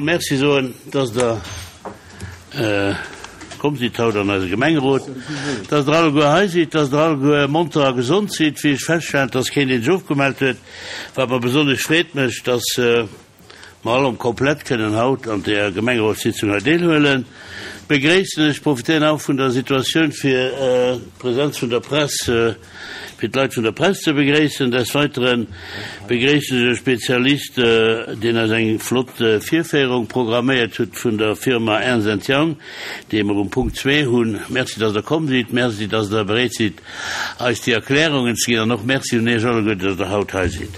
Merci soen, dass Der komm sidd haut an eise Gemengerot, dass Der alleguer hei sidd, dass Der alleguer monter a gesond sidd, wéi ech feststellen, dass keen, deen sech ofgemellt huet, wat mer besonnesch Freed mécht, dass mer all am Komplett kënnen haut an där Gemengerotssitzung hei deelhuelen, begréissen ech. Profitéieren auch vun der Situatioun, fir d'Präsenz vun der Press, fir d'Leit vun der Press ze begréissen. Des Weiteren begréissen ech e Spezialist, deen eis eng flott Virféierung programméiert hutt vun der Firma Ernst and Young, déi mer um Punkt zwee hunn. Merci, dass Der komm sidd. Merci, dass Der bereet sidd, eis déi Erklärungen ze ginn. An och Merci un Iech alleguer, dass Der haut hei sidd.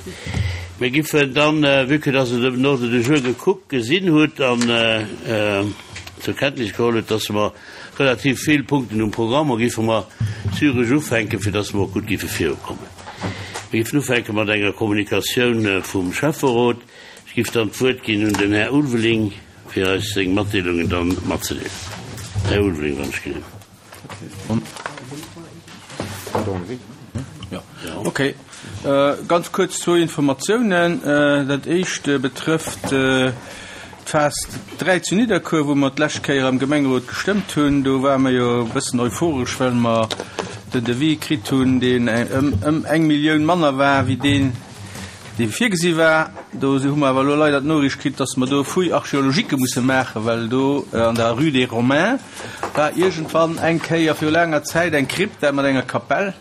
Mir giffen dann, vue que dass Der den Ordre du jour gekuckt, gesinn hutt an zur Kenntnis geholl hutt, dass mer Relativ vill Punkten um Programm a géife mer zügeg ufänken, fir dass mer och gutt géife virukommen. Mir géifen ufänke mat enger Kommunikatioun vum Schäfferot. Ech géif dann d'Wuert ginn un den Här Ulveling, fir eis seng Matdeelungen dann matzedeelen. Här Ulveling, wann ech ginn. Okay. Ganz kuerz zwou Informatiounen. Dat éischt betrëfft d'Phas 3 zu Nidderkuer, wou mer d'lescht Kéier am Gemengerot gestëmmt hunn. Do ware mer jo e bëssen euphoresch, well mer den Devis kritt hunn, deen ëm eng Millioun manner war wéi deen, dee virgesi war. Do hu mer awer elo leider d'Noriicht kritt, dass mer do Fouilles archéologiques musse maachen, well do an der Rue des Romains war iergendwann eng Kéier viru laanger Zäit eng Krypta mat enger Kapell.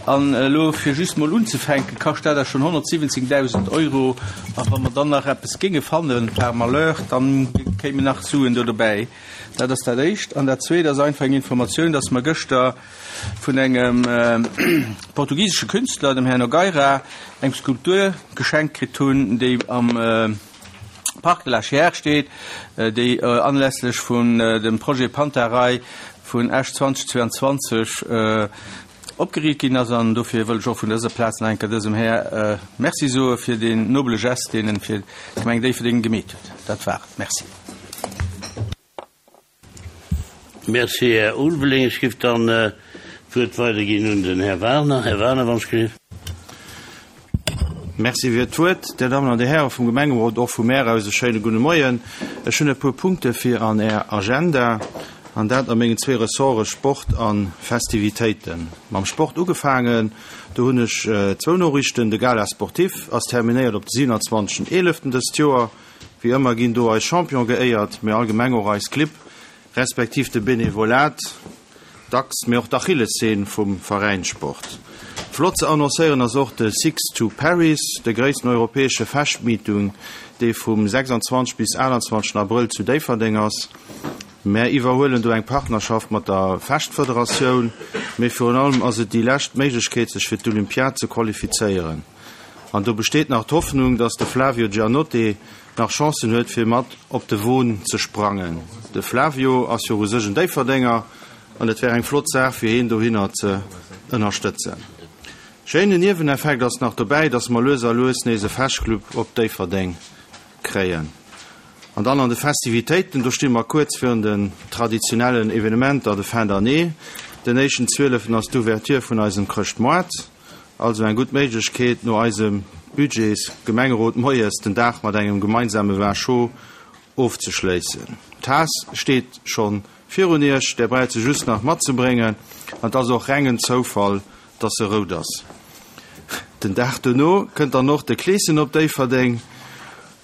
An elo, fir just mol unzefänken, kascht dat da schonn 117.000 Euro. A wa mer dann nach eppes géinge fannen, par malheur, dann kéimen nach Suen do dobäi. Dat ass dat Éischt. An dat Zweet ass einfach eng Informatioun, dass mer gëschter vun engem portugisesche Künstler, dem Här Nogueira, eng Skulptur geschenkt kritt hunn, déi am Parc de la Chiers steet, déi anlässlech vun dem Projet Panta Rhei vun Esch 2022 opgeriicht ginn ass. An dofir wëll ech och vun dëser Plaz nach eng Kéier dësem Här Merci soe fir deen nobele Gest, deen en fir d'Gemeng Déifferdeng gemeet huet. Dat war et. Merci. Merci, Här Ulveling. Ech géif dann d'Wuert weiderginn un den Här Wagner. Här Wagner, wann ech gelift. Merci fir d'Wuert. Dir Dammen an Dir Häre vum Gemengerot, och vu mär aus e schéine gudde Moien. Ech hunn e puer Punkte fir an Är Agenda, an dat a mengen zwee Ressorte Sport a Festivitéiten. Mam Sport ugefaangen, do hunn ech zwou Noriichten. De Gala sportif ass terminéiert op de 27. 11. Dëst Joer. Wéi ëmmer ginn do eis Champion geéiert, mee allgemeng och eis Clibb, respektiv de Benevolat, dacks, mee och d'Achillesseen vum Veräinssport. Flott ze annoncéieren ass och de Six to Paris, de gréissten europäesche Fechtmeeting, dee vum 26 bis 28 Abrëll zu Déifferdeng ass. Mär iwwerhuelen do eng Partnerschaft mat der Fechtfederatioun, mee virun allem ass et déi lescht Méiglechkeet sech fir d'Olympiad ze qualifizéieren. An do besteet nach d'Hoffnung, dass de Flavio Giannotti nach Chancen huet fir mat op de Won ze sprangen. De Flavio ass jo u sech en Déifferdenger an et wär eng flott Saach fir heen dohinner ze ënnerstëtzen. Schéinen Nieweneffekt ass nach dobäi, dass mer lues a lues nees e Fechtclub op Déifferdeng kréien. An dann an de Festivitéiten, do sti mer kuerz virun den traditionellen Evenementer de fin d'année. Den éischten Zwieleften ass d'Ouverture vun eisem Chrëschtmoart. Also eng gutt Méiglechkeet, no eisem Budgets Gemengerot moies den Dag mat engem gemeinsame Vin chaud ofzeschléissen. D'Taass steet scho virun Iech, där braucht se just nach matzebréngen an et ass och rengen Zoufall, dass se rout ass. Den Dag dono kënnt dann och de Kleeschen op Déifferdeng.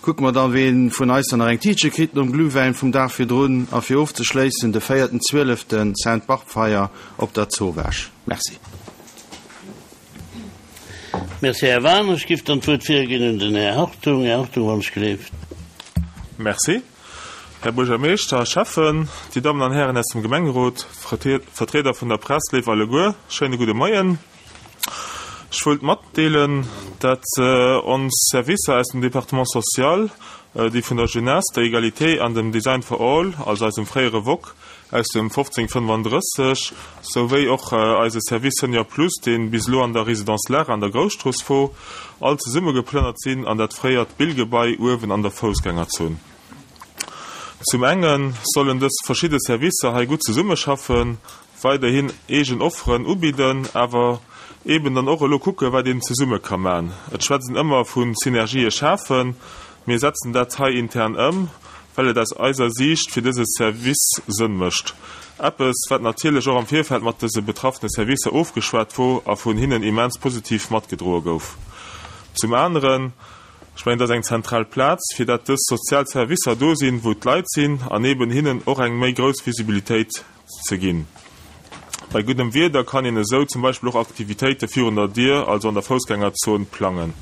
Kucke mer dann, ween vun eis dann nach eng Tiitche kritt nom Glühwäin vum Dag virdrun a fir ofzeschléissen de véierten Zwieleften Sainte-Barbe-Feier op der Zowaasch. Merci. Merci, Här Wagner. Ech géif dann d'Wuert virginn un den Här Hartung. Här Hartung, wann ech gleeft. Merci, Här Buergermeeschter, Schäffen, Dir Dammen an Hären aus dem Gemengerot, Vertrieder vun der Press, léif alleguer, schéine gudde Moien. Ech wëllt matdeelen, dat ons Servicer aus dem Département social, déi vun der Jeunesse, der Egalité an dem Design for All, also eisem fréiere Wok aus dem 1535, souwéi och eise Service Senior Plus, dee bis elo an der Résidence Lara an der Grousstrooss wor, all zesumme geplënnert sinn an dat fréiert Billgebai uewen an der Foussgängerzon. Zum enge sollen dës verschidde Servicer hei gutt zesummeschaffen, weiderhin eegen Offeren ubidden, awer eeben dann och elo kucken, wat een zesumme ka man. Et schwätzt een ëmmer vu Synergië schafen. Mir setzen dat hei intern ëm. well et aus eiser Siicht fir dëse Service Sënn mécht. Eppes, wat natierlech och am Virfeld mat dëse betraffene Servicer ofgeschwat wor a vun hinnen immens positiv matgedroe gouf. Zum aneren, ech mengen, et ass eng zentral Plaz, fir dat dës sozial Servicer do sinn, wou d'Leit sinn, an eeben hinnen och eng méi grouss Visibilitéit ze ginn. Bei guddem Wieder kann een esou zum Beispill och Aktivitéite virun der Dier, also an der Foussgängerzon, plangen.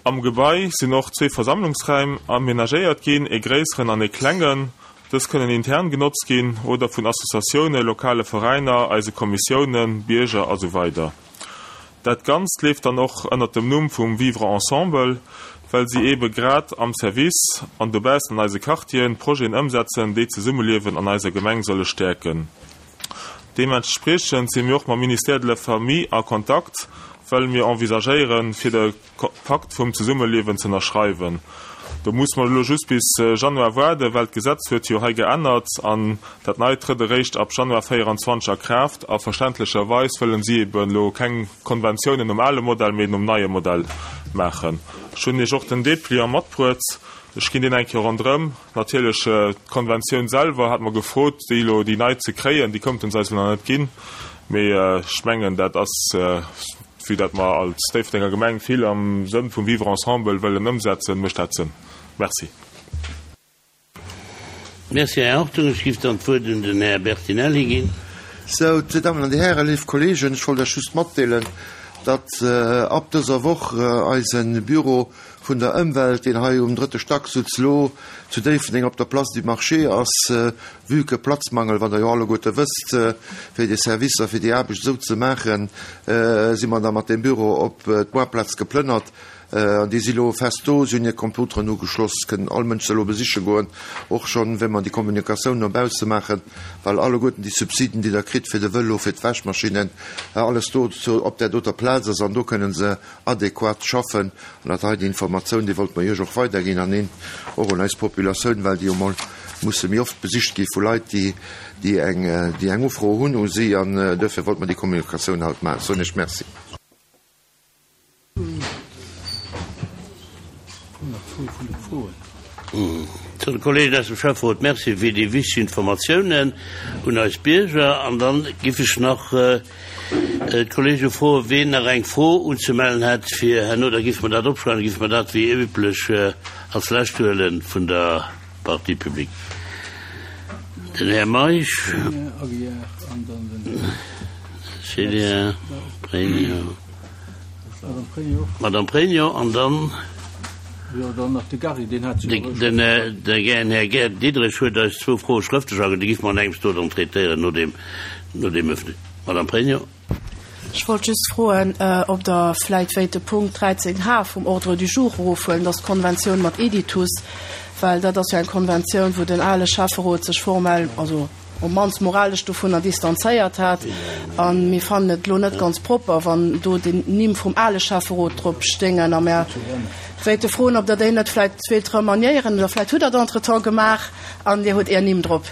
Am Gebai sinn och zwee Versammlungsräim amenagéiert ginn, ee gréisseren an ee klengen. Dës kënnen intern genotzt ginn oder vun Associatioune, lokale Veräiner, eise Kommissiounen, Bierger a sou weider. Dat Ganzt leeft dann och ënnert dem Numm vum Vivre ensemble, well si eebe grad am Service an dobaussen an eise Quartieren Projeten ëmsetzen, déi d'Zesummeliewen an eiser Gemeng solle stäerken. Deementspriechend si mir och mam Ministère de la Famille a Kontakt, well mir envisagéieren, fir de. Pakt vum Zesummeliewen ze ënnerschreiwen. Do muss mer elo just bis Januar waarden, well d'Gesetz huet jo hei geännert an dat Neit trëtt eréischt ab Januar 24 a Kraaft. A verständlecherweis wëllen si eben elo keng Konventiounen nom ale Modell, mee nom neie Modell maachen. Ech hunn Iech och den Dépliant matbruet. Ech ginn deen eng Kéier ronderëm. Natierlech d'Konventioun selwer hat mer gefrot, déi elo, déi nei ze kréien. Déi konnten se eis elo nach net ginn. Mee ech mengen, dat ass. Vue dat mer als Déifferdenger Gemeng vill am Sënn vum Vivre ensemble wëllen ëmsetzen, mécht dat Sënn. Merci. Merci, Här Hartung. Ech giff dann d'Wuert un den Här Bertinelli ginn. Sou, Dir Dammen an Dir Hären, léif Kollegen, ech wollt Iech just matdeelen, datt ab dëser Woch eise Büro vun der Ëmwelt, deen hei um drëtte Stack sutz, lo zu Déifferdeng op der Place du Marché ass, vue que Platzmangel, wat Der jo alleguerte wësst, fir déi Servicer, fir déi Aarbecht esou ze maachen, si mer da mat deem Büro op d'Moarplaz geplënnert. An déi si lo fest do, si hunn hir Computeren ugeschloss, kënnen all Mënsch se elo besiche goen, och schonn, wéi mer déi Kommunikatioun no bausse maachen, well alleguerten déi Subsiden, déi Der kritt fir de Vëlo, fir d'Wäschmaschinnen, alles do op där doter Plaz ass an do kënnen se adequat schaffen. An dat hei, déi Informatioun, déi wollte mer Iech och weiderginn an een och un eis Populatioun, well déi jo mol musse méi oft besicht gi vu Leit, déi, déi eng, déi eng Ufro hunn u si. An duerfir wollte mer déi Kommunikatioun haut maachen. Soen Iech Merci. Zu de Kollegen aus dem Schäfferot Merci fir déi wichteg Informatiounen un eis Bierger. An dann giff ech nach d'Kollege froen, ween nach eng Fro unzemellen hätt fir herno. Da giffe mer dat opschreiwen, da giffe mer dat wéi üblech als lescht huele vun der Partie publique. Den Här Meisch, Célia Pregno. Madame Pregno an dann den Här Gerd Diderich huet eis zwou Froe schrëftlech aginn, déi giffe mer an engems do dann traitéieren no deem, no deem Öffne. Madame Pregno. Ech wollt just froen, ob Der vläit wéilt de Punkt 13 H vum Ordre du jour erofhuelen, dat ass d'Konventioun mat Editus, well dat ass jo eng Konventioun, wou den ale Schäfferot sech formell, also op mannst moralesch dovunner distanzéiert hat. A mir fannen et elo net ganz propper, wann do déi Nimm vum ale Schäfferot drop stéingen. A mär wéilte froen, ob Der déi net vläicht wéilt remaniéieren, oder vläicht hutt Der dat entretemps gemaach an Dir hutt Är Nimm drop.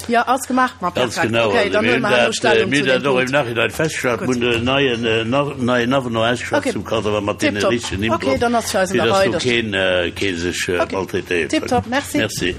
Jo, ass gemaach. Ma Ganz perfekt. genau. Okay, dann huele mer herno Stellung zu deem Punkt. Mir hunn dat och im Nachhinein festgestallt. Mir hunn den neien, neien Avenant ausgeschafft Okay. zum Kader mat deene Tiptop. richtegen Nimm Okay, drop, dann ass fir eis an fir der dass Rei. do keen, kee sech Okay. maltraitéiert Tiptop. fëllt. Merci. Merci.